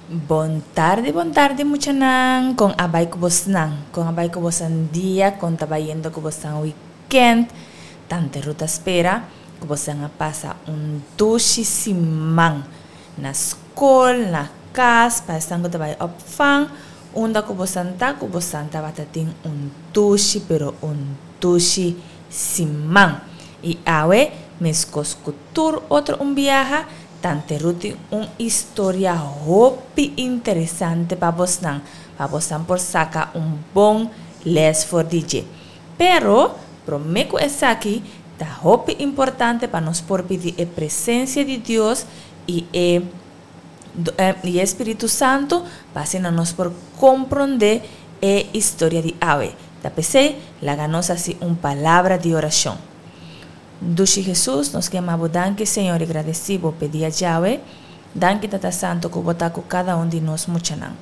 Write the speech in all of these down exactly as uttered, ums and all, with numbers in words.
Bon tardi, bon tardi muchanan, kon a bai ku bosnan, kon a bai ku bosan dia, kon ta bayendo ku bosan weekend. Tante Ruth ta spera ku bosan a pasa un dushi siman na skol, na kas, pa esnan ku ta bai opvang, unda ku bosan ta, ku bosan tabata tin un dushi pero un dushi siman. I awe, meskos ku tur otro un biaha, Tante Ruth tin un historia hopi interesante pa bosnan, pa bosnan por saka un bon les for di dje. Pero, promé ku esaki, ta hopi importante pa nos por pidi e presensia di Dios i e i e Spiritu Santu pa asina nos por komprondé e historia di awe. Ta p'esei, laga nos hasi un palabra di orashon. Dushi Hesus, nos ke ama Bo danki Señor i gradesi Bo p'e dia djawe. Danki Tata Santo ku Bo ta ku kada un di nos muchanan.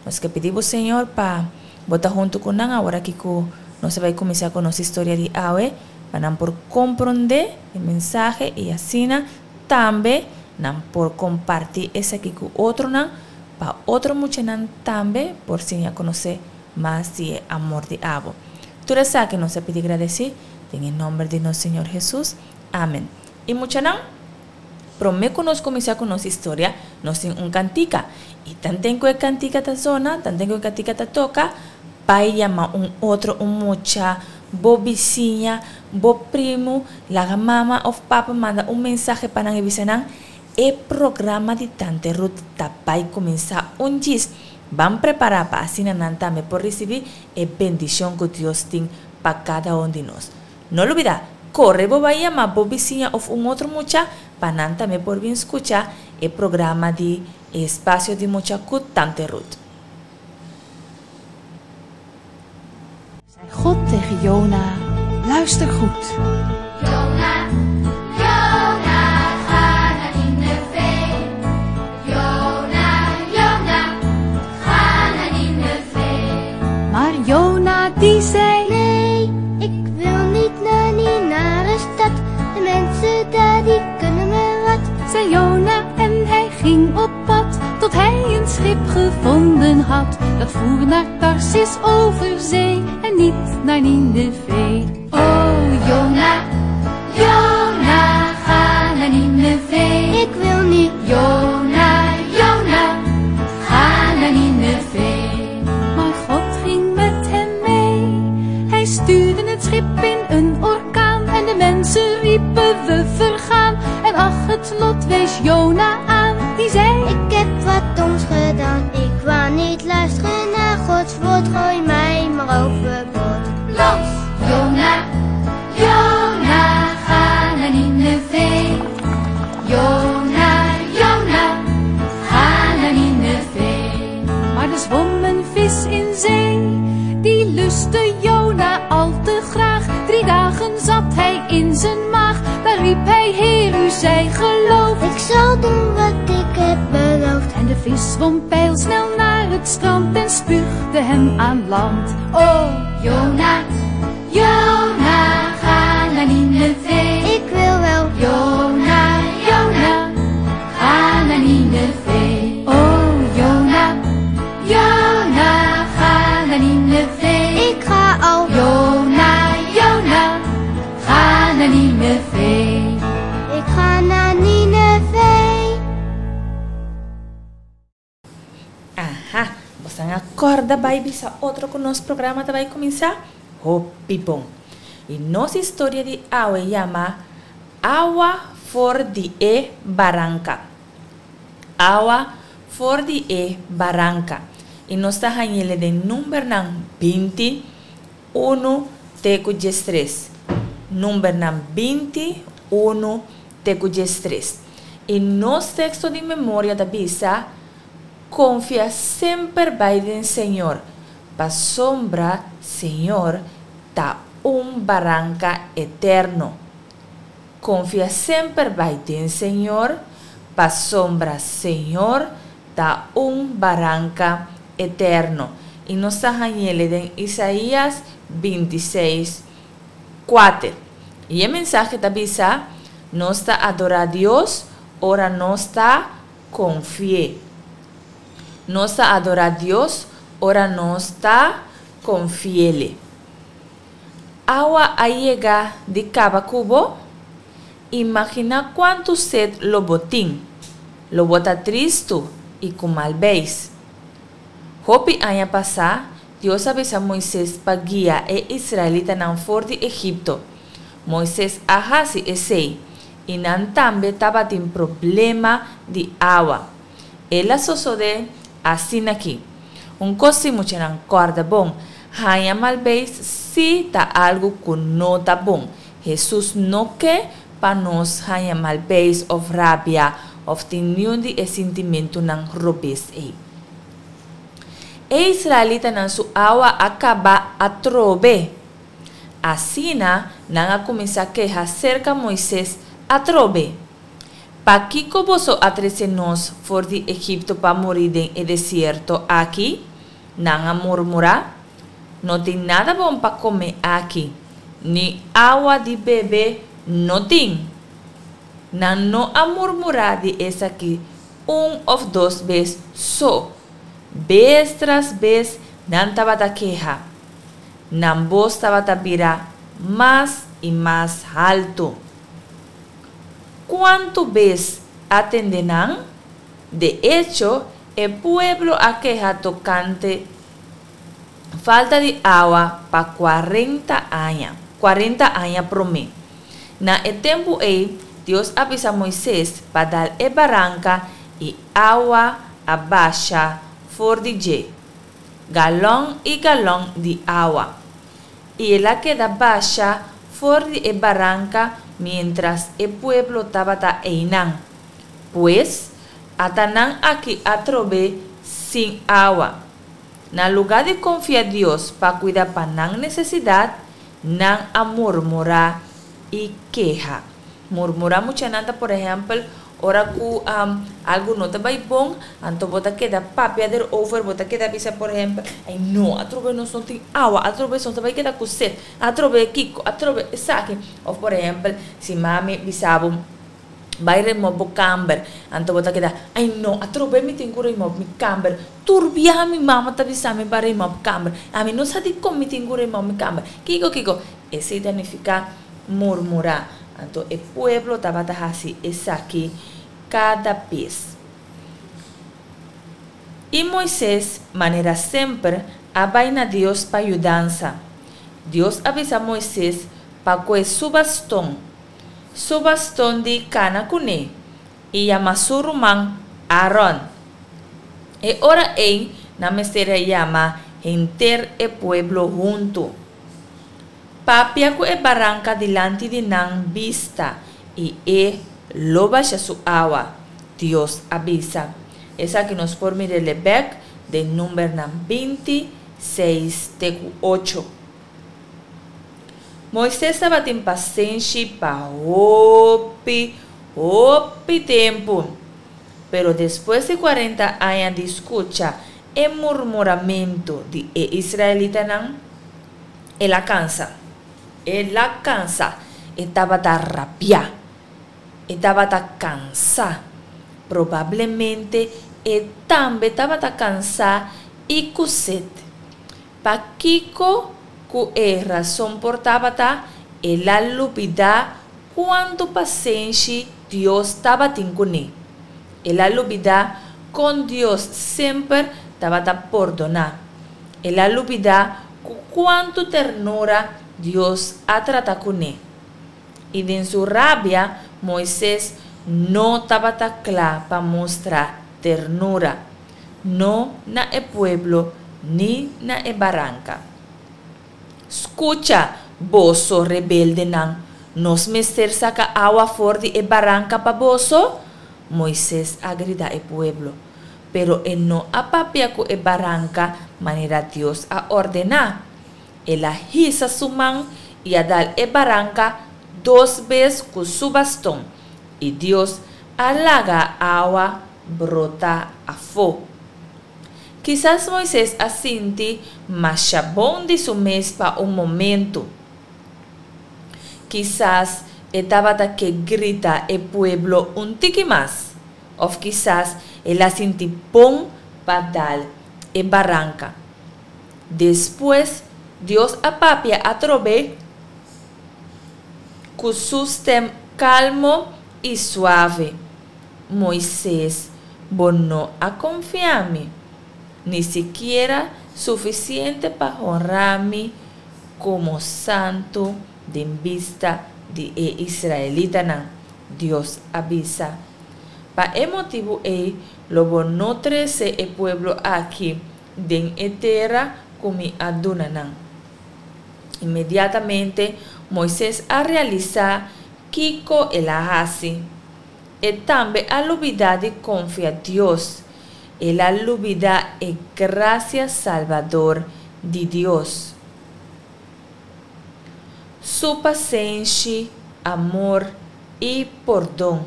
Nos ke pidi Bo Señor pa Bo ta huntu ku nan aworaki ku nos a bai kuminsá ku nos historia di awe, pa nan por komprondé e mensahe i asina tambe nan por kompartí esaki ku otronan, pa otro muchanan tambe por siña konosé mas di e amor di abo. Tur esaki nos a pidi gradesí den e nomber di nos Señor Hesus. Amen. I muchanan, promé ku nos kuminsá ku nos historia, nos tin un kantika. I tanten ku e kantika ta zona, tanten ku e kantika ta toka, bai yama un otro, un mucha, bo bisiña, bo primu, laga mama òf papa manda un mensahe pa nan i bisa nan, E programa di Tante Ruth ta bai kuminsá un djis. Ban prepará pa asina nan tambe por risibí e bendishon ku Dios tin pa kada un di nos. No lubidá, kore bo bai yama bo bisiña òf un otro mucha pa nan tambe por bin skucha e programa di Espasio di Mucha ku Tante Ruth. Zei God tegen Jona, luister goed. Jona, Jona, ga naar Nineve. Jona, Jona, ga naar Nineve. Maar Jona die zei, Nee, ik wil niet naar die nare stad. De mensen daar die kunnen me wat. Zei Jona en hij ging op pad, tot hij een schip gevonden had. Dat voer naar Tarsis over zee en niet naar Nineve. Oh Jona, Jona, ga naar Nineve. Ik wil niet. Jona, Jona, ga naar Nineve. Maar God ging met hem mee. Hij stuurde het schip in een orkaan en de mensen riepen we vergaan. En ach, het lot wees Jona aan, die zei, Ik heb wat doms gedaan. Ik wou niet luisteren naar Gods woord. Gooi mij maar overboord. Los! Jona, Jona, ga naar Nineve. Jona, Jona, ga naar Nineve. Maar er zwom een vis in zee, die lustte Jona al te graag. Drie dagen zat hij in zijn maag, daar riep hij, Heer, u zij geloofd. Ik zal doen wat ik heb beloofd. En de vis zwom pijlsnel naar het strand en spuugde hem aan land. Oh, Jona, Jona, ga naar Nineve. Ik wil wel. Jona, Jona, ga naar Nineve. Oh, Jona, Jona, ga naar Nineve. Ik ga al. Jona, Jona, ga naar Nineve. Ik ga naar Nineve. Aha, bosan a kòrda bai bisa otro ku nos programa ta bai kuminsá? Hopi bon! I nos historia di awe yama Awa for di e Baranka. Awa for di e Baranka. I nos ta hañ'ele den numbernan binti, unu te ku diestres. Numbernan binti, unu te ku diestres. I nos teksto di memoria ta bisa, Konfia semper bai den Señor, pasobra Señor ta un baranka eterno. Konfia semper bai den Señor, pasobra Señor ta un baranka eterno. I nos ta hañ'ele den Isaías binti seis, kuater. I e mensahe ta bisa, Nos ta adorá Dios ora nos ta konfi'é. Nos ta adorá Dios ora nos ta konfi'E. Awa a yega di kaba ku bo? Imaginá kuantu set lo bo tin. Lo bo ta tristu i ku mal beis. Hopi aña pasá, Dios a bisa Moises pa guia e israelitanan for di Egipto. Moises a hasi esei, i nan tambe tabatin problema di awa. El a sosodé asin'aki. Un kos si muchanan kòrda bon, haña mal beis sí ta algu ku no ta bon. Hesus no ke pa nos haña mal beis òf rabia òf tin niun di e sintimentunan robes ei. E israelitanan su awa a kaba atrobe. Asina nan a kuminsá keha serka Moises atrobe. Pakiko boso a trese nos for di Egipto pa muri den e desierto akí? Nan a murmurá. No tin nada bon pa kome aki, ni awa di bebe no tin. Nan no a murmurá di esaki un òf dos bes so. Bes tras bes nan tabata keha. Nan bos tabata bira mas i mas haltu. Kuantu bes a tende nan? De echo, e pueblo a keha tokante falta di awa pa kuarenta aña, kuarenta aña promé. Na e tempu ei, Dios a bisa Moises pa dal e baranka i awa a basha for di dje, galòn i galòn di awa. I el a keda basha for di e baranka miéntras e pueblo tabata einan. Pues, ata nan aki atrobe sin awa. Na lugá di konfia Dios pa kuida pa nan nesesidat, nan a murmurá i keha. Murmurá muchanan ta por ehèmpel ora ku algu no ta bai bon, anto bo ta keda papia derover, bo ta keda bisa por ehèmpel, ay no, atrobe nos no tin awa, atrobe nos ta bai keda ku set, atrobe kiko, atrobe esaki. Òf por ehèmpel si mami bisa bo bai remòp bo kamber, anto bo ta keda, ay no, atrobe mi tin ku remòp mi kamber, tur biaha mi mama ta bisa mi pa remòp kamber, ami no sa dikon mi tin ku remòp mi kamber, kiko kiko. Esei ta nifiká murmurá. Anto e pueblo tabata hasi esaki kada bes. I Moises, manera semper, a bai na Dios pa yudansa. Dios a bisa Moises pa kue su baston, su baston di kana kuné, i yama su ruman Aaron. E ora ei nan mester a yama henter e pueblo huntu. Papia ku e baranka dilanti di nan bista, i e lo basha su awa, Dios a bisa. Esaki nos por mir'é bèk den Numbernan binti, seis te ku ocho. Moises tabatin pasenshi pa hopi, hopi tempu. Pero despues di kuarenta aña di skucha e murmuramentu di e israelitanan, el a kansa. El a kansa. E tabata rabiá. E tabata kansá. Probablemente e tambe tabata kansá i ku set. Pakiko ku e rason por tabata, el a lubidá kuantu pasenshi Dios tabatin kuné. El a lubidá kon Dios semper tabata pordoná. El a lubidá ku kuantu ternura Dios a trata kuné. I den su rabia, Moises no tabata kla pa mustra ternura, no na e pueblo ni na e baranka. Skucha, boso rebeldenan, nos mester saka awa for di e baranka pa boso? Moises a grita e pueblo. Pero e no a papia ku e baranka manera Dios a ordená. El a hisa su man i a dal e baranka dos bes ku su baston, i Dios a laga awa brota afó. Kisas Moises a sinti masha bon di su mes pa un momentu. Kisas e tabata ke grita e pueblo un tiki mas. Òf kisas el a sinti bon pa dal e baranka. Despues Dios a papia atrobe ku su stèm kalmo i suave, Moises, bo no a konfia mi, ni sikiera sufisiente pa honra mi komo santu den bista di e israelitanan, Dios a bisa. Pa e motibu ei lo bo no trese e pueblo akí den e tera ku mi a duna nan. Inmediatamente Moises a realisá kiko el a hasi. E tambe a lubidá di konfia Dios. El a lubidá e grasia salbador di Dios, Su pasenshi, amor i pordon.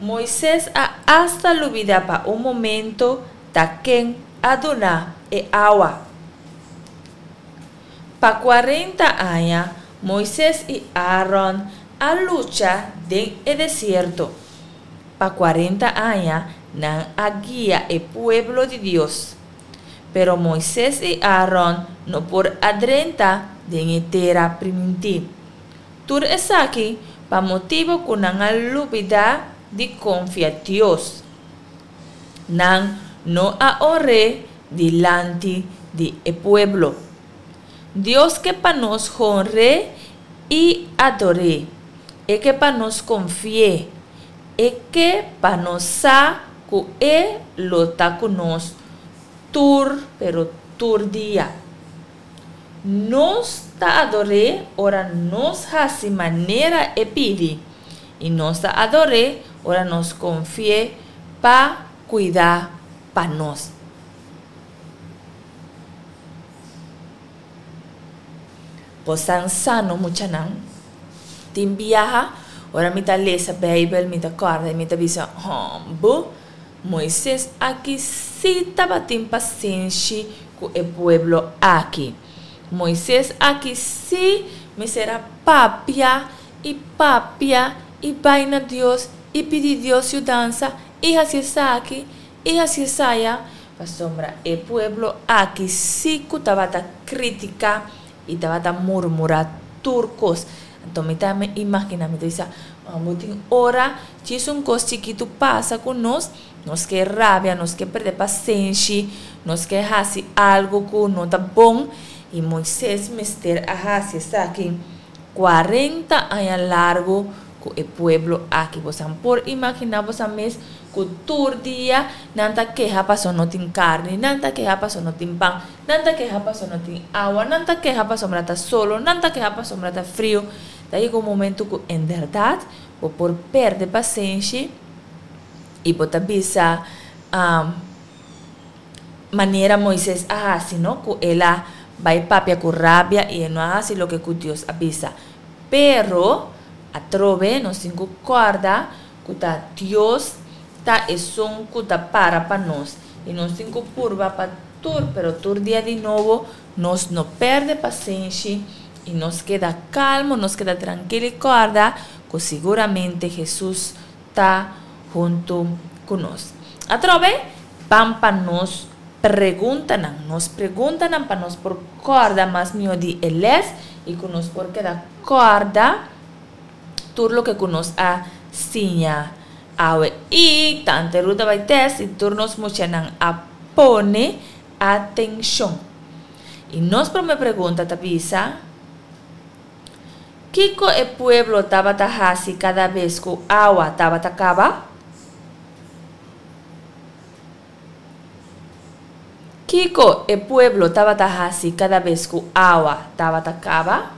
Moises a asta lubidá pa un momento ta ken a duna e awa. Pa kuarenta aña, Moises i Aaron a lucha den e desierto. Pa kuarenta aña, nan a guia e pueblo di Dios. Pero Moises i Aaron no por a drenta den e Tera Primintí. Tur esaki pa motibu ku nan a lubidá di konfia Dios. Nan no a honr'é dilanti di e pueblo. Dios ke pa nos honr'é i ador'é. E ke pa nos konfi'é. E ke pa nos sa ku e lo ta ku nos tur pero tur dia. Nos ta ador'é ora nos hasi manera e pidi, i nos ta ador'é ora nos konfi'é pa kuida pa nos. Bosan sa no muchanan? Tin biaha ora mi ta lesa Beibel mi ta kòrda i mi ta bisa, Hòmbu, Moises aki sí tabatin pasenshi ku e pueblo aki. Moises aki sí mester a papia i papia i bai na Dios i pidi Dios yudansa i hasi esaki i hasi esaya, pasobra e pueblo aki sí ku tabata kritiká i tabata murmurá tur kos. Anto mi ta imaginá, mi ta bisa, Bo tin ora djis un kos chikitu pasa ku nos, nos ke rabia, nos ke perde pasenshi, nos ke hasi algu ku no ta bon. I Moises mester a hasi esaki kuarenta aña largu ku e pueblo aki. Bosan por imaginá bosan mes ku tur dia nan ta keha pasobra no tin karni, nan ta keha pasobra no tin pan, nan ta keha pasobra no tin awa, nan ta keha pasobra ta solo, nan ta keha pasobra ta friu. Ta yega un momento ku en bèrdat bo por pèrdè pasenshi i bo ta bisa manera Moises a hasi, no? Ku el a bai papia ku rabia i e no a hasi loke ku Dios a bisa. Pero, atrobe nos tin ku kòrda ku ta Dios ta esun ku ta para pa nos i nos tin ku purba pa tur, pero tur dia di nobo nos no pèrdè pasenshi i nos keda kalmo, nos keda trankil i kòrda ku siguramente Hesus ta huntu ku nos. Atrobe, ban pa nos preguntanan. Nos preguntanan pa nos por kòrda mas mihó di e lès i ku nos por keda kòrda tur loke ku nos a siña awe. I tante Ruth a bai tèst i tur nos muchanan a pone atenshon. I nos promé pregunta ta bisa, Kiko e pueblo tabata hasi kada bes ku awa tabata kaba? Kiko e pueblo tabata hasi kada bes ku awa tabata kaba?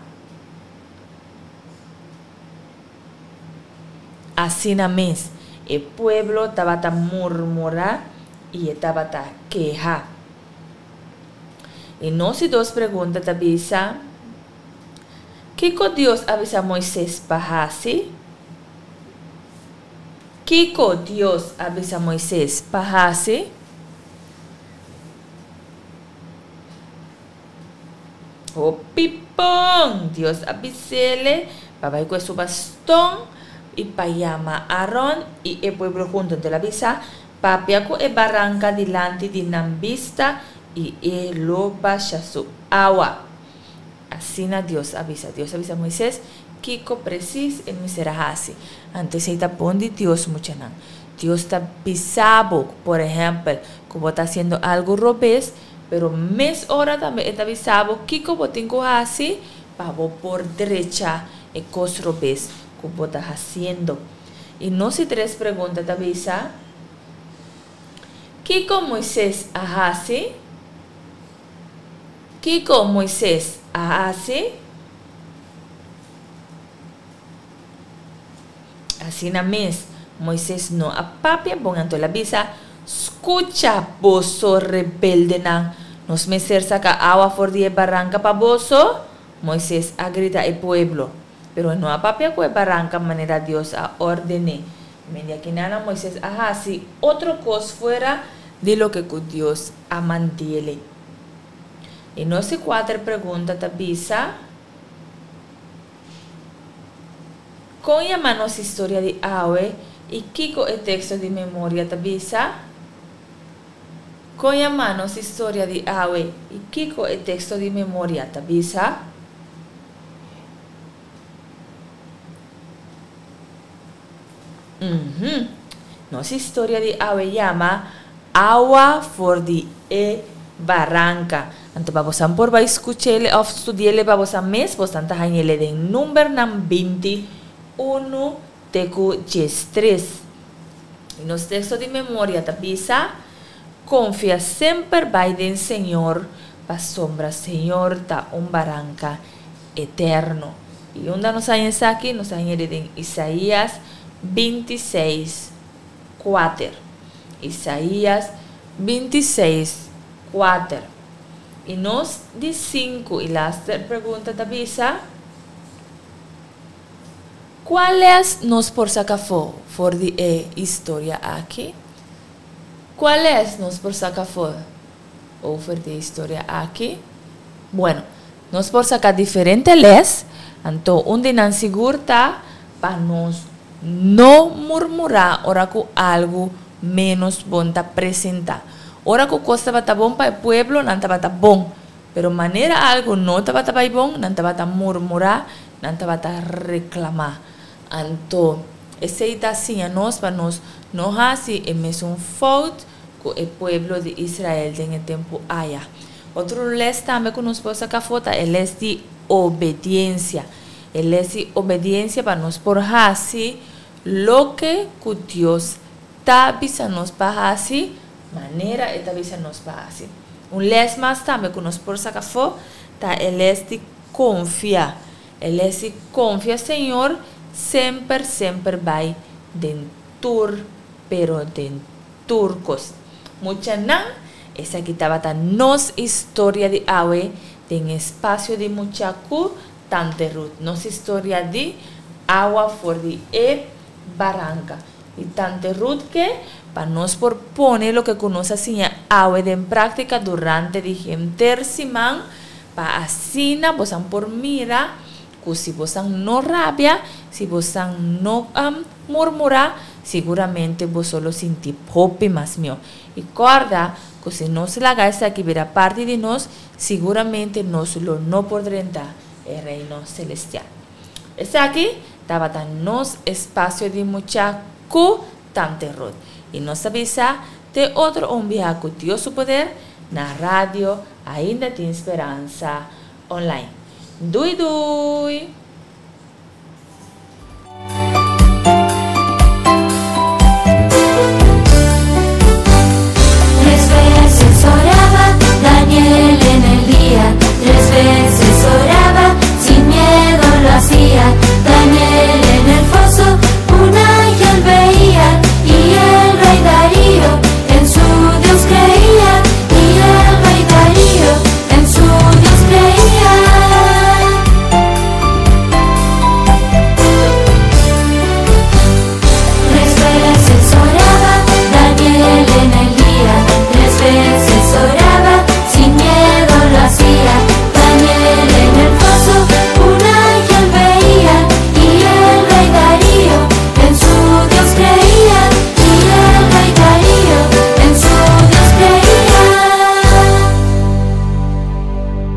Asina mes, e pueblo tabata murmurá i e tabata keha. E nos di dos pregunta ta bisa, Kiko Dios a bisa Moises pa hasi? Kiko Dios a bisa Moises pa hasi? Hopi bon! Dios a bis'ele pa bai ku e su baston i pa yama Aron i e pueblo huntu. Anto el a bisa, Papia ku e baranka dilanti di nan bista i e lo basha su awa. Asina Dios a bisa. Dios a bisa Moises kiko presis e mester a hasi. Anto esei ta bon di Dios, muchanan. Dios ta bisa bo, por ehèmpel, ku bo ta hasiendo algu robes, pero mes ora tambe e ta bisa bo kiko bo tin ku hasi pa bo por drecha e kos robes ku bo ta hasiendo. I nos di tres pregunta ta bisa, Kiko Moises a hasi? Kiko Moises a hasi? Asina mes, Moises no a papia bon, anto el a bisa, Skucha, boso rebeldenan, nos mester saka awa for di e baranka pa boso? Moises a grita e pueblo. Pero e no a papia ku e baranka manera Dios a orden'é. Mendi akinana Moises a hasi otro kos fuera di loke ku Dios a mand'ele. I nos di kuater pregunta ta bisa, Kon yama nos historia di awe i kiko e teksto di memoria ta bisa? Kon yama nos historia di awe i kiko e teksto di memoria ta bisa? Uhum. Nos historia di awe yama Awa for di e Baranka. Anto pa bosan por bai skuch'ele òf studi'ele pa bosan mes, bosan ta hañ'ele den Numbernan binti unu te ku diestres. I nos teksto di memoria ta bisa, Konfia semper bai den Señor, pasobra Señor ta un baranka eterno. I unda nos haña esaki? Nos a hañ'e den Isaías binti seis, kuater. Isaías binti seis, kuater. I nos di sinku i laster pregunta ta bisa, Kua lès nos por saka afó for di e historia aki? Kua lès nos por saka afó over di e historia aki? Bueno, nos por saka diferente lès, anto un di nan sigur ta pa nos no murmurá ora ku algu ménos bon ta presentá. Ora ku kos tabata bon pa e pueblo, nan tabata bon, pero manera algu no tabata bai bon, nan tabata murmurá, nan tabata reklamá. Anto, esei ta siña nos pa nos no hasi e mesun fout ku e pueblo di Israel den e tempu aya. Otro lès tambe ku nos por saka afó ta e lès di obediensia. E lès di obediensia pa nos por hasi loke ku Dios ta bisa nos pa hasi, manera e ta bisa nos pa hasi. Un lès mas tambe ku nos por saka afó ta e lès di konfia. E lès di konfia Señor semper semper bai den tur pero den tur kos. Muchanan, esaki tabata nos historia di awe den espasio di mucha ku Tante Ruth. Nos historia di awa for di e baranka. I Tante Ruth ke pa nos por pone loke ku nos a siña awe den práktika durante di henter siman pa asina bosan por mira ku si bosan no rabia, si bosan no murmurá, siguramente boso lo sinti hopi mas mihó. I kòrda ku si nos laga esaki bira parti di nos, siguramente nos lo no por drenta e Reino Selestial. Esaki tabata nos espasio di mucha ku Tante Ruth. I nos ta bisa te otro un biaha ku Dios su poder na radio Ainda Tin Speransa Online. Dui dui!